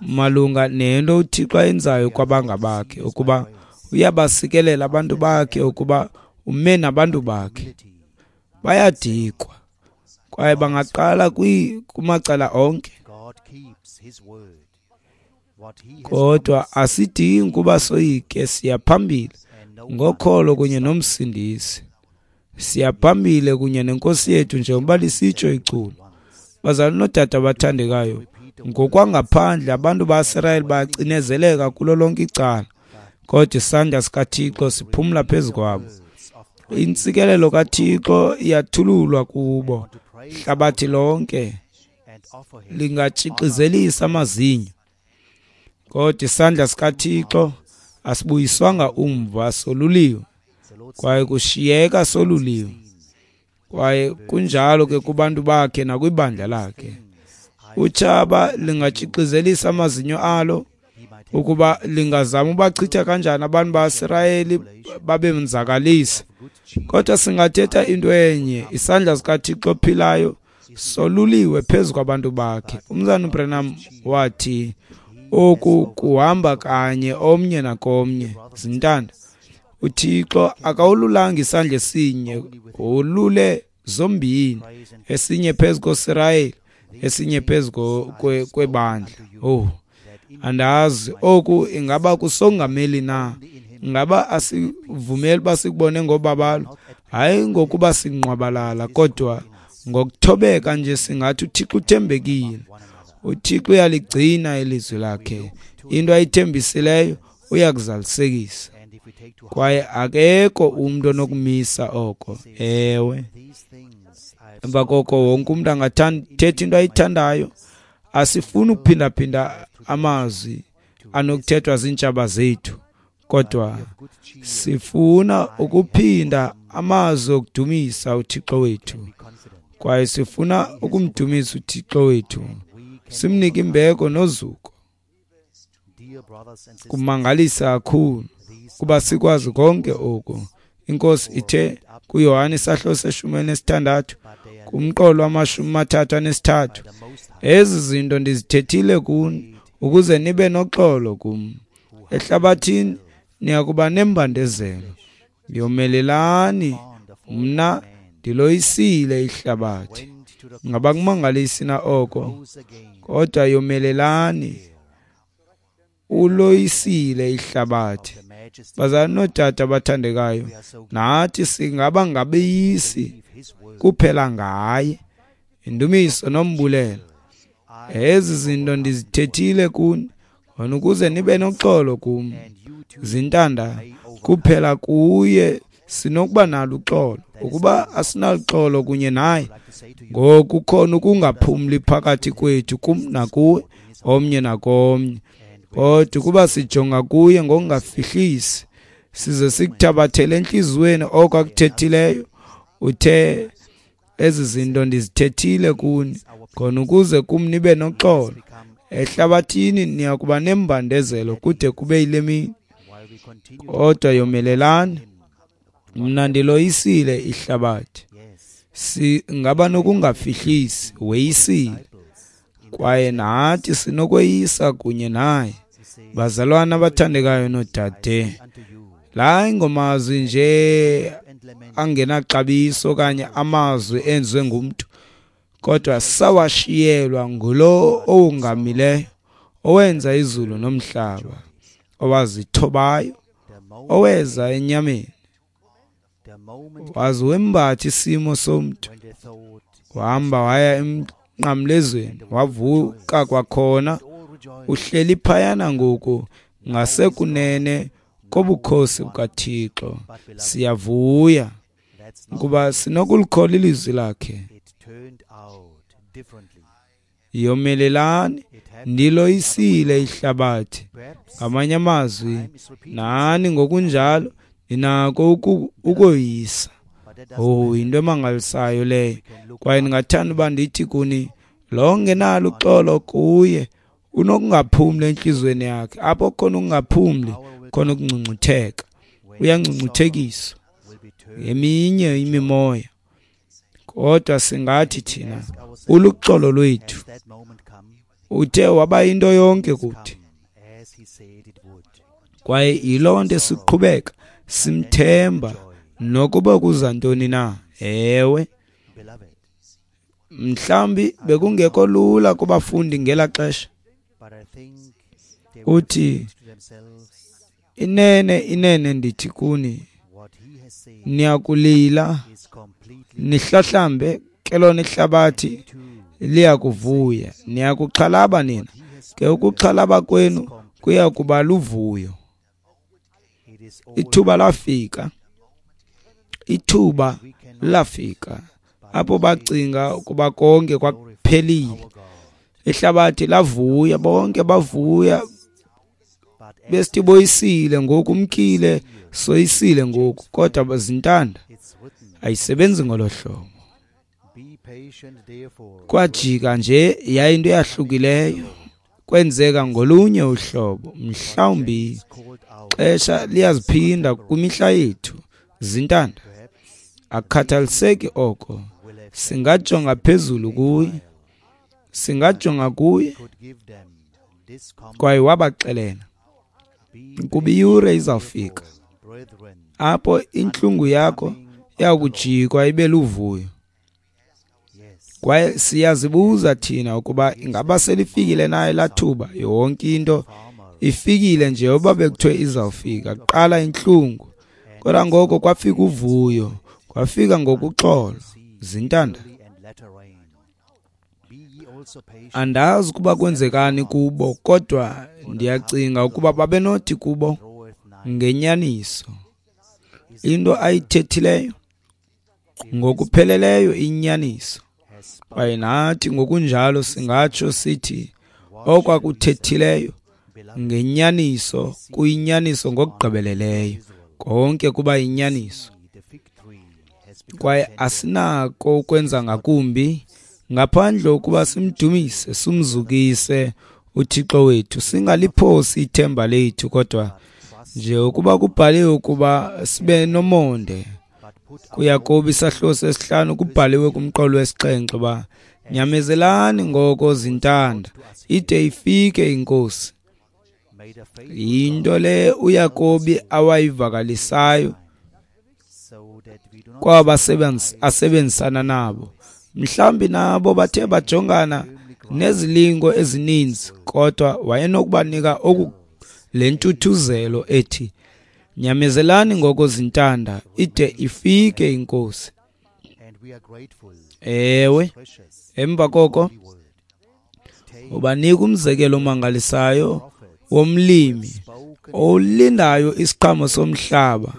malunga nento uThixo ayenzayo kwabangabakhe, ukuba uyabasikelela abantu bakhe, ukuba ume nabantu bakhe. Bayadikwa kwaye bangaqala kumacala onke. Kodwa asidingi ukuba soyike, siya phambili ngokholo kunye nomsindisi. Siya phambili kunye nenkosi yethu njengoba lisitsho iculo. Bazalwane noodade abathandekayo, ngokwangaphandle abantu baSirayeli bacinezeleka kulo lonke icala, kodwa isandla sikaThixo siphumla phezu kwabo. Intsikelelo kaThixo iyathululwa kubo. Hlabathi lonke lingatshixizelisa amazinyo, kodwa isandla sikaThixo asibuyiswanga umva, soluliwe kwaye kushiyeka soluliwe. Kwaye kunjalo ke kubantu bakhe nakwibandla lakhe. Utshaba lingatshixizelisa amazinyo alo, ukuba lingazama ubachitha kanjani abantu baSirayeli babenzakalisa. Kodwa singathetha into enye, isandla sikaThixo ophilayo soluliwe phezu kwabantu bakhe. Umzana uBranham wathi oku kuhamba kanye omnye nakomnye. Zintanda, uThixo akawululanga isandla esinye, wolule zombini, esinye phezu koSirayeli, esinye phezu kwebandla. Oh, andazi oku ingaba kusongameli na? Ingaba asivumeli uba sikubone ngobabalo? Hayi ngokuba sinqwabalala, kodwa ngokuthobeka nje singathi uThixo uthembekile. uThixo uyaligcina ilizwi lakhe. Into ayithembisileyo uyakuzalisekisa. Kwaye akekho umntu onokumisa oko. Ewe. Emva koko wonke umntu angathetha into ayithandayo. Asifuni ukuphindaphinda amazwi anokuthethwa ziintshaba zethu, kodwa sifuna ukuphinda amazwi okudumisa uThixo wethu. Kwaye sifuna ukumdumisa uThixo wethu, simnike imbeko nozuko. Kumangalisa kakhulu kuba sikwazi konke oku. Inkosi ithe kuYohane isahluko se-16 kumqolo wama-33, ezi zinto ndizithethile kuni ukuze nibe noxolo kum. Ehlabathini niyakuba nembandezelo. Yomelelani, mna ndiloyisile ihlabathi. Ngaba kumangalisi na oko? Kodwa yomelelani, uloyisile ihlabathi. Bazalwane nootata abathandekayo, nathi singaba ngabeyisi kuphela ngaye. Indumiso nombulelo. Ezi zinto ndizithethile kuni khona ukuze nibe noxolo kum. Zintanda, kuphela kuye sinokuba nalo uxolo. Ukuba asinaluxolo kunye naye, ngoku kukhona ukungaphumli phakathi kwethu, kum nakuwe, omnye nakomnye. Kodwa ukuba sijonga kuye ngokungafihlisi, size sikuthabathele entliziyweni oko akuthethileyo, uthe ezi zinto ndizithethile kuni khona ukuze kum nibe noxolo. Ehlabathini niyakuba nembandezelo kude kube yile mini, kodwa yomelelani, mna ndiloyisile ihlabathi. Singaba nokungafihlisi, weyisile. Kwaye nathi sinokweyisa kunye naye. Bazalwana abathandekayo noodade, la ingomazwi nje angenaxabiso okanye amazwi enziwe ngumntu, kodwa sawashiyelwa ngulo owongamileyo, owenza izulu nomhlaba, owazithobayo, oweza enyameni, waze wembatha isimo somntu, wahamba waya emnqamlezweni, wavuka kwakhona, uhleli phayana ngoku ngasekunene kobukhosi bukaThixo. Siyavuya ukuba sinokulikholwa ilizwi lakhe. Yomelelani, ndiloyisile ihlabathi. Ngamanye amazwi, nani ngokunjalo ninako ukoyisa. Oh, yinto emangalisayo leyo. Kwaye ndingathanda uba ndithi kuni, lo ngenalo uxolo kuye unokungaphumli entliziyweni yakhe. Apho khona ukungaphumli, khona ukungcungcutheka. Uyangcungcuthekiswa eminye imimoya. Kodwa singathi thina, uluxolo lwethu. Uthe waba yinto yonke kuthi. Kwaye yiloo nto siqhubeka simthemba nokuba kuza ntoni na. Ewe, mhlawumbi bekungekho lula kubafundi ngela xesha. Uthi, inene, inene ndithi kuni, niyakulila nihlahlambe, ke lona ihlabathi liyakuvuya. Niyakuxhalaba nina, ke ukuxhalaba kwenu kuya kuba luvuyo. Ithuba lafika, ithuba lafika apho bacinga ukuba konke kwakuphelile. Ihlabathi lavuya, bonke bavuya, besithi boyisile ngoku, umkile, soyisile ngoku. Kodwa zintanda ayisebenzi ngolo hlobo. Kwajika nje yayinto eyahlukileyo, kwenzeka ngolunye uhlobo. Mhlawumbi xesha liyaziphinda kwimihla yethu. Zintanda, akukhathaliseki oko, singajonga phezulu kuye, singajonga kuye. Kwaye wabaxelela ukuba iyure izawufika apho intlungu yakho iyakujikwa ibe luvuyo. Kwaye siyazibuza thina ukuba ingaba selifikile na elaa thuba. Yonke into ifikile nje oba bekuthiwe izawufika. Kuqala intlungu, kodwa ngoko kwafika uvuyo, kwafika ngokuxolo. Zintanda, andazi ukuba kwenzekani kubo, kodwa ndiyacinga ukuba babenothi kubo ngenyaniso into ayithethileyo ngokupheleleyo inyaniso. Kwaye nathi ngokunjalo singatsho sithi okwakuthethileyo ngenyaniso kuyinyaniso ngokugqibeleleyo. Konke kuba yinyaniso. Kwaye asinako ukwenza ngakumbi ngaphandle ukuba simdumise, simzukise uThixo wethu. Singaliphosi ithemba lethu, kodwa nje ukuba kubhaliwe ukuba sibe nomonde. KuYakobi isahluko sesihlanu kubhaliwe kumqolo wesixhenxe uba nyamezelani ngoko zintanda ide ifike iNkosi. Yinto le uYakobi awayivakalisayo kwaba asebenzisana nabo. Mhlawumbi nabo bathe bajongana nezilingo ezininzi, kodwa wayenokubanika le ntuthuzelo ethi nyamezelani ngoko zintanda ide ifike iNkosi. Ewe, emva koko ubanika umzekelo omangalisayo womlimi olindayo isiqhamo somhlaba,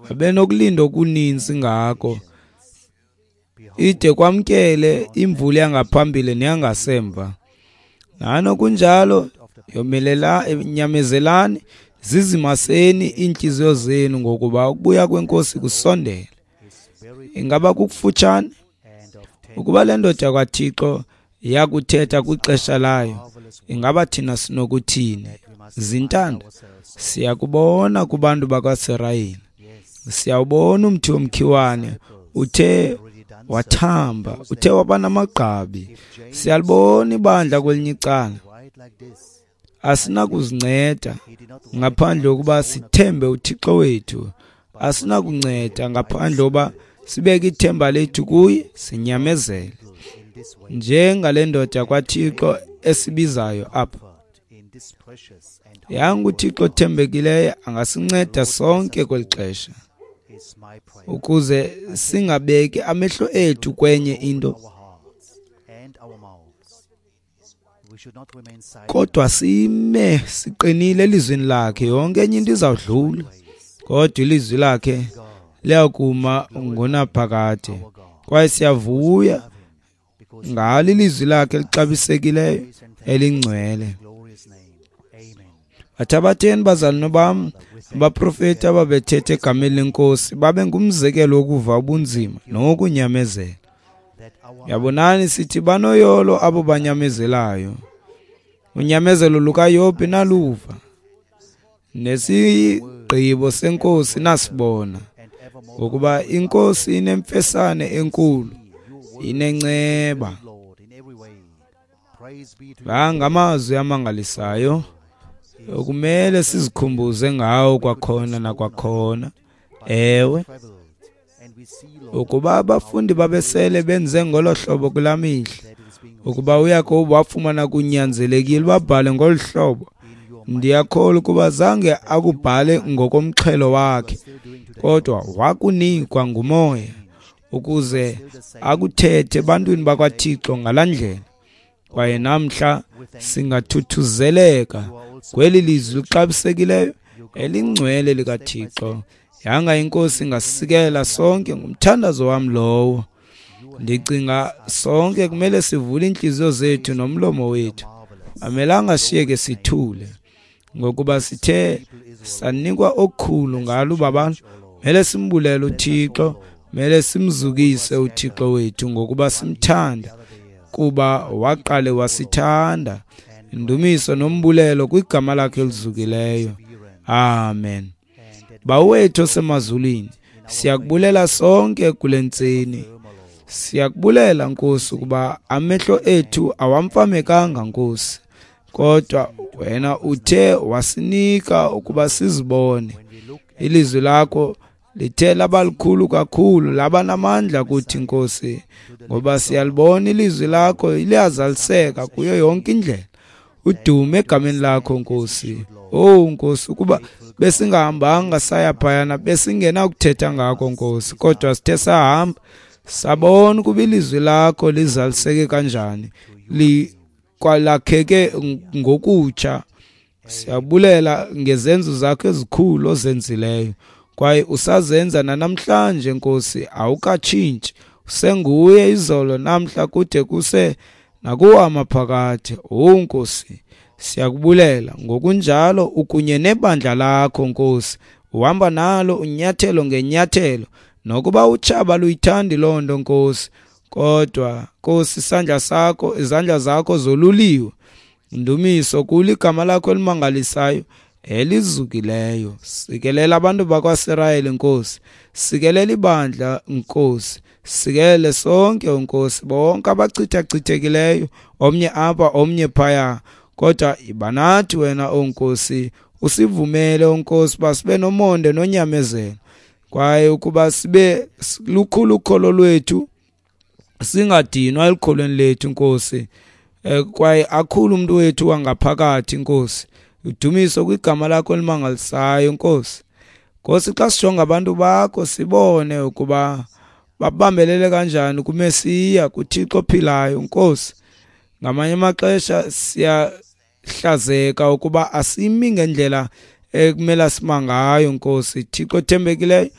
abenokulinda okuninzi ngako ide kwamkele imvula yangaphambili neyangasemva. Nanokunjalo nyamezelani, zizimaseni iintliziyo zenu, ngokuba ukubuya kweNkosi kusondele. Ingaba kukufutshane? Ukuba le ndoda kwaThixo yakuthetha kwixesha layo, ingaba thina sinokuthini? Zintanda, siyakubona kubantu bakwaSirayeli. Siyawubona umthi womkhiwane uthe Wathamba, uthe waba namagqabi. Siyalibona ibandla kwelinye icala. Asinakuzinceda ngaphandle kokuba sithembe uThixo wethu. Asinakunceda ngaphandle kokuba sibeke ithemba lethu kuye, sinyamezele. Njengale ndoda kwaThixo esibizayo apha. Yanga uThixo othembekileyo angasinceda sonke kweli xesha, ukuze singabeki amehlo ethu kwenye into, kodwa sime siqinile elizwini lakhe. Yonke enye into izawudlula, kodwa ilizwi lakhe liyakuma ngonaphakade. Kwaye siyavuya ngalo ilizwi lakhe elixabisekileyo elingcwele. Bathabatheni bazalwane bam, abaprofeti ababethetha egameni lenkosi babe ngumzekelo wokuva ubunzima nokunyamezela. Yabonani sithi banoyolo abo banyamezelayo. Unyamezelo lukaYobhi naluva, nesigqibo senkosi nasibona, ngokuba inkosi inemfesane enkulu, inenceba. La ngamazwi amangalisayo okumele sizikhumbuze ngawo kwakhona nakwakhona. Ewe, ukuba abafundi babesele benze ngolo hlobo kulaa mihla, ukuba uYakobi wafumana kunyanzelekile babhale ngolu hlobo, ndiyakholwa ukuba zange akubhale ngokomxhelo wakhe, kodwa wakunikwa nguMoya ukuze akuthethe ebantwini bakwaThixo ngalaa ndlela. Kwaye namhla singathuthuzeleka kweli lizwi lixabisekileyo elingcwele likaThixo. Yanga inkosi ingasikela sonke, ngumthandazo wam lowo. Ndicinga sonke kumele sivule iintliziyo zethu nomlomo wethu. Amelanga siyeke sithule, ngokuba sithe sanikwa okukhulu ngalo ubabalo. Mele simbulele uThixo, mele simzukise uThixo wethu ngokuba simthanda, kuba waqale wasithanda. Indumiso nombulelo kwigama lakhe elizukileyo. Amen. Bawethu osemazulwini, siyakubulela sonke kule ntseni. Siyakubulela Nkosi ukuba amehlo ethu awamfamekanga Nkosi, kodwa wena uthe wasinika ukuba sizibone. Ilizwi lakho lithe laba likhulu kakhulu, laba namandla kuthi Nkosi, ngoba siyalibona ilizwi lakho liyazaliseka kuyo yonke indlela. Udume egameni lakho Nkosi. Oh Nkosi, ukuba besingahambanga saya phayana besingenakuthetha ngakho Nkosi, kodwa sithe sahamba sabona ukuba ilizwi lakho lizaliseke kanjani, likwalakheke ngokutsha. Siyabulela ngezenzo zakho ezikhulu ozenzileyo, kwaye usazenza nanamhlanje Nkosi, awukatshintshi, usenguye izolo namhla kude kuse nakuwo amaphakade. Oh Nkosi, siyakubulela ngokunjalo ukunye nebandla lakho Nkosi, uhamba nalo unyathelo ngenyathelo, nokuba utshaba luyithandi loo nto Nkosi, kodwa Nkosi isandla sakho, izandla zakho zoluliwe. Ndumiso kuligama lakho elimangalisayo elizukileyo. Sikelela abantu bakwaSirayeli Nkosi, sikelela ibandla Nkosi, sikelele sonke Nkosi, bonke abachithachithekileyo, omnye apha omnye phaya, kodwa iba nathi wena o Nkosi, usivumele o Nkosi uba sibe nomonde nonyamezelo, kwaye ukuba sibe lukhulu ukholo lwethu, singadinwa elukholweni lethu Nkosi, kwaye akhulu umuntu wethu wangaphakathi Nkosi. Udumiso kwigama lakho elimangalisayo Nkosi. Nkosi, xa sijonga abantu bakho sibone ukuba babambelele kanjani kuMesiya, kuThixo ophilayo Nkosi. Ngamanye amaxesha siyahlazeka ukuba asimi ngendlela ekumele sima ngayo Nkosi. Thixo othembekileyo,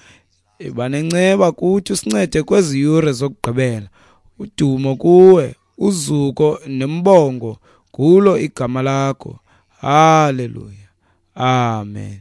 iba nenceba kuthi, usincede kwezi yure zokugqibela. Udumo kuwe, uzuko nembongo kulo igama lakho. Haleluya. Amen.